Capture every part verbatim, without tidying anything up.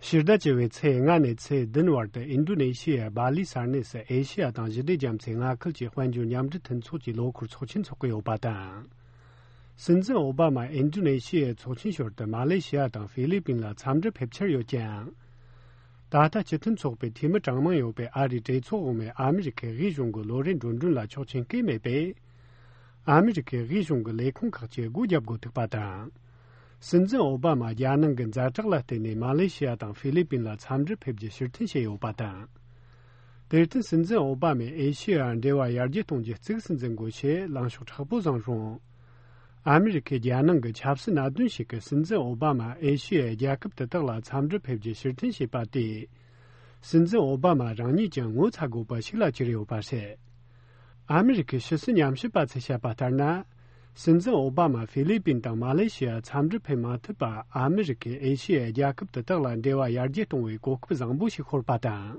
ཕྱི་ཟླ་བཅུ་བའི་ཚེས་ལྔ་ནས་ཚེས་བདུན་བར་དུ་ཨིན་ཌོ་ནེ་ཤི་ཡའི་སྦ་ལི་ས་གནས་སུ་ཨེ་ཤི་ཡ་དང་ཞི་བདེ་རྒྱ་མཚོའི་མངའ་ཁུལ་གྱི་དཔལ་འབྱོར་མཉམ་འབྲེལ་མཐུན་ཚོགས་ཀྱི་ལོ་འཁོར་ཚོགས་ཆེན་འཚོགས་ཀྱི་ཡོད་པ་དང་། སྲིད་འཛིན་ཨོ་བྷ་མ་ཨིན་ཌོ་ནེ་ཤི་ཡའི་ཚོགས་ཆེན་ཞོར་དུ་མ་ལེ་ཤི་ཡ་དང་ཧྥི་ལི་པིན་ལ་འཚམས་འདྲི་ཕེབས་འཆར་ཡོད་ཀྱང་། ད་ལྟ་སྤྱི་མཐུན་ཚོགས་པའི་འཐུས་མི་གྲངས་མང་ཡོད་པའི་ཨ་རིའི་གྲོས་ཚོགས་འོག་མའི་ཨ་མི་རི་ཁའི་དབུས་གཞུང་གི་ལོ་རེའི་འགྲོ་གྲོན་ལ་ཆོག་མཆན་བཀོད་མེད་པས། ཨ་མི་རི་ཁའི་དབུས་གཞུང་གི་ལས་ཁུངས་ཁག་ཅིག་སྒོ་བརྒྱབ་དགོས་ཐུག་པ་དང་། སྲིད་འཛིན་ཨོ་བྷ་མ་རྒྱལ་ནང་གི་ཛ་དྲག་ལ་བརྟེན་ནས་མ་ལེ་ཤི་ཡ་དང་ཧྥི་ལི་པིན་ལ་འཚམས་འདྲི་ཕེབས་རྒྱུ་ཕྱིར་འཐེན་བྱས་ཡོད་པ་དང་། དེར་བརྟེན་སྲིད་འཛིན་ཨོ་བྷ་མས་ཨེ་ཤི་ཡ་འབྲེལ་བ་ཡར་རྒྱས་གཏོང་རྒྱུ་གཙིགས་སུ་འཛིན་དགོས་ཞེས་ལངས་ཕྱོགས་མཁྲེགས་པོ་བཟུང་རུང་། ཨ་མི་རི་ཁའི་རྒྱལ་ནང་གི་ཆབ་སྲིད་གནད་དོན་ཞིག་གིས་སྲིད་འཛིན་ཨོ་བྷ་མ་ཨེ་ཤི་ཡའི་རྒྱལ་ཁབ་དེ་དག་ལ་འཚམས་འདྲི་ཕེབས་རྒྱུ་ཕྱིར་འཐེན་བྱས་པ་དེས། སྲིད་འཛིན་ཨོ་བྷ་མ་རང་ཉིད་ཀྱང་ངོ་ཚ་དགོས་པ་ཞིག་ལ་གྱུར་ཡོད་པ་རེད། ཨ་མི་རི་ཁའི་ཕྱི་སྲིད་ཉམས་ཞིབ་པ་ཚོས་བཤད་པ་ལྟར་ན། སྲིད་འཛིན་ཨོ་བྷ་མ་ཧྥི་ལི་པིན་དང་མ་ལེ་ཤི་ཡར་འཚམས་འདྲི་ཕེབས་མ་ཐུབ་པ་ཨ་མི་རི་ཁས་ཨེ་ཤི་ཡའི་རྒྱལ་ཁབ་དེ་དག་ལ་འབྲེལ་བ་ཡར་རྒྱས་གཏོང་བའི་གོ་སྐབས་བཟང་པོ་ཞིག་ཤོར་པ་དང་།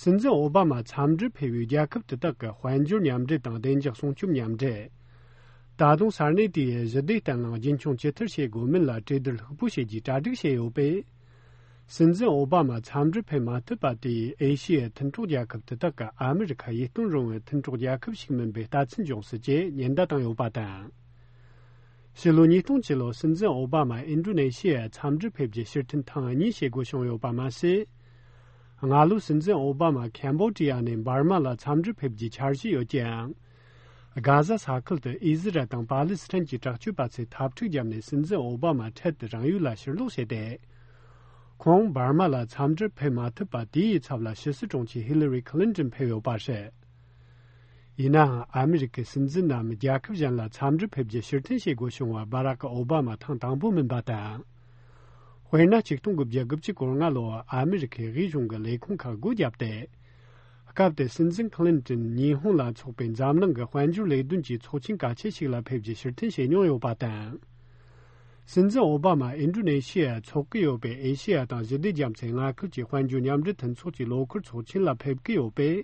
སྲིད་འཛིན་ཨོ་བྷ་མ་འཚམས་འདྲིར་ཕེབས་པའི་རྒྱལ་ཁབ་དེ་དག་གི་དཔལ་འབྱོར་མཉམ་འབྲེལ་དང་བདེ་འཇགས་སྲུང་སྐྱོབ་མཉམ་འབྲེལ། ད་དུང་ས་གནས་དེའི་ཞི་བདེ་བརྟན་ལྷིང་རྒྱུན་འཁྱོངས་ཇི་ལྟར་བྱེད་དགོས་མིན་ལ་གྲོས་བསྡུར་ལྷུག་པོ་བྱེད་རྒྱུའི་གྲ་སྒྲིག་བྱས་ཡོད་པས། སྲིད་འཛིན་ཨོ་བྷ་མ་འཚམས་འདྲིར་ཕེབས་མ་ཐུབ་པ་དེས་ཨེ་ཤི་ཡའི་མཐུན་གྲོགས་རྒྱལ་ཁབ་དེ་དག་གིས་ཨ་མི་རི་ཁ་ཡིད་རྟོན་རུང་བའི་མཐུན་གྲོགས་རྒྱལ་ཁབ་ཞིག་མིན་པའི་ལྟ་ཚུལ་འབྱུང་སྲིད་ཅེས་ཉེན་བརྡ་བཏང་ཡོད་པ་དང་། ཕྱི་ལོ་ཉིས་སྟོང་བཅུ་ལོར་སྲིད་འཛིན་ཨོ་བྷ་མ་ཨིན་ཌོ་ནེ་ཤི་ཡར་འཚམས་འདྲིར་ཕེབས་རྒྱུ་ཕྱིར་འཐེན་ཐེངས་གཉིས་བྱེད་དགོས་བྱུང་ཡོད་པ་མ་ཟད། སྔ་ལོ་སྲིད་འཛིན་ཨོ་བྷ་མ་ཁེམ་བྷོ་ཌི་ཡ་ནས་འབར་མ་ལ་འཚམས་འདྲིར་ཕེབས་རྒྱུའི་འཆར་གཞི་ཡོད་ཀྱང་། གྷ་ཟ་ས་ཁུལ་དུ་ཨི་ཟི་རལ་དང་པ་ལི་སི་ཐན་གྱི་དྲག་སྤྱོད་པ་ཚོས་འཐབ་འཁྲུག་བརྒྱབ་ནས་སྲིད་འཛིན་ཨོ་བྷ་མ་འཕྲལ་དུ་རང་ཡུལ་ལ་ཕྱིར་ལོག་བྱས་ཏེ། ཁོང་འབར་མ་ལ་འཚམས་འདྲིར་ཕེབས་མ་ཐུབ་པ་དེའི་ཚབ་ལ་ཕྱི་སྲིད་དྲུང་ཆེ་ཧི་ལི་རི་ཁི་ལིན་ཏོན་ཕེབས་ཡོད་པ་རེད། ཡིན་ནའང་ཨ་མི་རི་ཀའི་སྲིད་འཛིན་རྣམས་རྒྱལ་ཁབ་གཞན་ལ་འཚམས་འདྲིར་ཕེབས་རྒྱུ་ཕྱིར་འཐེན་བྱེད་དགོས་བྱུང་བ་སྦ་རག་ཨོ་བྷ་མ་ཐེངས་དང་པོ་མིན་པ་དང་། དཔེར་ན་ཆིག་སྟོང་དགུ་བརྒྱ་དགུ་བཅུ་གོ་ལྔ་ལོར་ཨ་མི་རི་ཁའི་དབུས་གཞུང་གི་ལས་ཁུངས་ཁག་སྒོ་བརྒྱབ་སྟེ། སྐབས་དེར་སྲིད་འཛིན་ཁི་ལིན་ཏོན་ཉི་ཧོང་ལ་འཚོགས་པའི་འཛམ་གླིང་གི་དཔལ་འབྱོར་ལས་དོན་གྱི་ཚོགས་ཆེན་གལ་ཆེ་ཞིག་ལ་ཕེབས་རྒྱུ་ཕྱིར་འཐེན་བྱེད་མྱོང་ཡོད་པ་དང་། སྲིད་འཛིན་ཨོ་བྷ་མ་ཨིན་ཌོ་ནེ་ཤི་ཡར་འཚོགས་ཀྱི་ཡོད་པའི་ཨེ་ཤི་ཡ་དང་ཞི་བདེ་རྒྱ་མཚོའི་མངའ་ཁུལ་གྱི་དཔལ་འབྱོར་མཉམ་འབྲེལ་མཐུན་ཚོགས་ཀྱི་ལོ་འཁོར་ཚོགས་ཆེན་ལ་ཕེབས་ཀྱི་ཡོད་པས།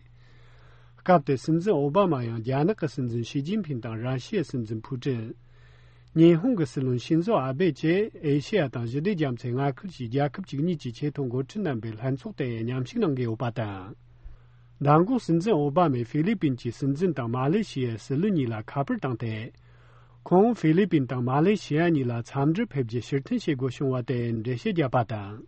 སྐབས་དེར་སྲིད་འཛིན་ཨོ་བྷ་མ་ཡང་རྒྱ་ནག་གི་སྲིད་འཛིན་ཞི་ཅིན་ཕིན་དང་ར་ཤི་ཡའི་སྲིད་འཛིན་ཕུ་ཀྲིན། ཉི་ཧོང་གི་སྲིད་བློན་ཤིན་ཛོ་ཨ་བྷེ་བཅས་ཨེ་ཤི་ཡ་དང་ཞི་བདེ་རྒྱ་མཚོའི་མངའ་ཁུལ་གྱི་རྒྱལ་ཁབ་བཅུ་གཉིས་ཀྱི་ཆེས་མཐོའི་འགོ་ཁྲིད་རྣམ་པའི་ལྷན་ཚོགས་དེ་མཉམ་ཞུགས་གནང་གི་ཡོད་པ་དང་། མདང་དགོང་སྲིད་འཛིན་ཨོ་བྷ་མས་ཧྥི་ལི་པིན་གྱི་སྲིད་འཛིན་དང་མ་ལེ་ཤི་ཡའི་སྲིད་བློན་གཉིས་ལ་ཁ་པར་བཏང་སྟེ། ཁོང་ཧྥི་ལི་པིན་དང་མ་ལེ་ཤི་ཡ་གཉིས་ལ་འཚམས་འདྲིར་ཕེབས་རྒྱུ་ཕྱིར་འཐེན་བྱེད་དགོས་བྱུང་བ་དེར་འགྲེལ་བཤད་བརྒྱབ་པ་དང་།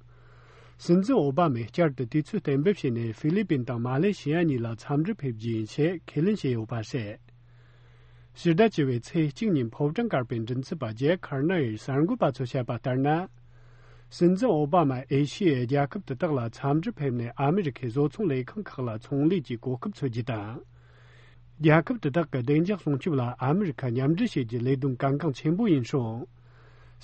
སྲིད་འཛིན་ཨོ་བྷ་མས་བསྐྱར་དུ་དུས་ཚོད་གཏན་འབེབས་བྱས་ནས་ཧྥི་ལི་པིན་དང་མ་ལེ་ཤི་ཡ་གཉིས་ལ་འཚམས་འདྲིར་ཕེབས་རྒྱུ་ཡིན་ཞེས་ཁས་ལེན་བྱས་ཡོད་པ་རེད། ཕྱི་ཟླ་བཅུ་བའི་ཚེས་གཅིག་ཉིན་ཕོ་བྲང་དཀར་པོའི་མགྲིན་ཚབ་པ་ཇེ་ཁར་ནར་ཡིས་གསར་འགོད་པ་ཚོར་བཤད་པ་ལྟར་ན། སྲིད་འཛིན་ཨོ་བྷ་མ་ཨེ་ཤི་ཡའི་རྒྱལ་ཁབ་དེ་དག་ལ་འཚམས་འདྲིར་ཕེབས་ནས་ཨ་མི་རི་ཁའི་བཟོ་ཚོང་ལས་ཁང་ཁག་ལ་ཚོང་ལས་ཀྱི་གོ་སྐབས་འཚོལ་རྒྱུ་དང་། རྒྱལ་ཁབ་དེ་དག་གི་བདེ་འཇགས་སྲུང་སྐྱོབ་ལ་ཨ་མི་རི་ཁ་མཉམ་འབྲེལ་བྱེད་རྒྱུའི་ལས་དོན་གལ་འགངས་ཆེན་པོ་ཡིན་ཞིང་།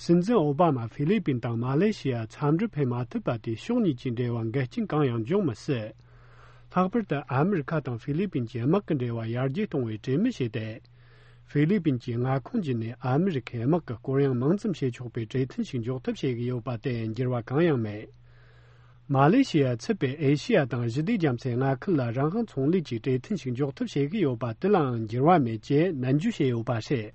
སྲིད་འཛིན་ཨོ་བྷ་མ་ཧྥི་ལི་པིན་དང་མ་ལེ་ཤི་ཡར་འཚམས་འདྲིར་ཕེབས་མ་ཐུབ་པ་དེས་ཕྱོགས་གཉིས་ཀྱི་འབྲེལ་བར་འགལ་རྐྱེན་གང་ཡང་འབྱུང་མི་སྲིད། ལྷག་པར་དུ་ཨ་མི་རི་ཁ་དང་ཧྥི་ལི་པིན་གྱི་དམག་གི་འབྲེལ་བ་ཡར་རྒྱས་གཏོང་བའི་གྲོས་མོལ་བྱས་ཏེ། ཧྥི་ལི་པིན་གྱི་མངའ་ཁོངས་བརྒྱུད་ནས་ཨ་མི་རི་ཁའི་དམག་གི་སྐོར་གཡེང་མང་ཙམ་བྱེད་ཆོག་པའི་གྲོས་མཐུན་ཞིག་འཇོག་ཐབས་བྱེད་ཀྱི་ཡོད་པ་དེ་འགྱུར་བ་གང་ཡང་མེད། མ་ལེ་ཤི་ཡ་ཚུད་པའི་ཨེ་ཤི་ཡ་དང་ཞི་བདེ་རྒྱ་མཚོའི་མངའ་ཁུལ་ལ་རང་དབང་ཚོང་ལས་ཀྱི་གྲོས་མཐུན་ཞིག་འཇོག་ཐབས་བྱེད་ཀྱི་ཡོད་པ་དེ་ལའང་འགྱུར་བ་མེད་ཅེས་ནན་བརྗོད་བྱས་ཡོད་པ་རེད།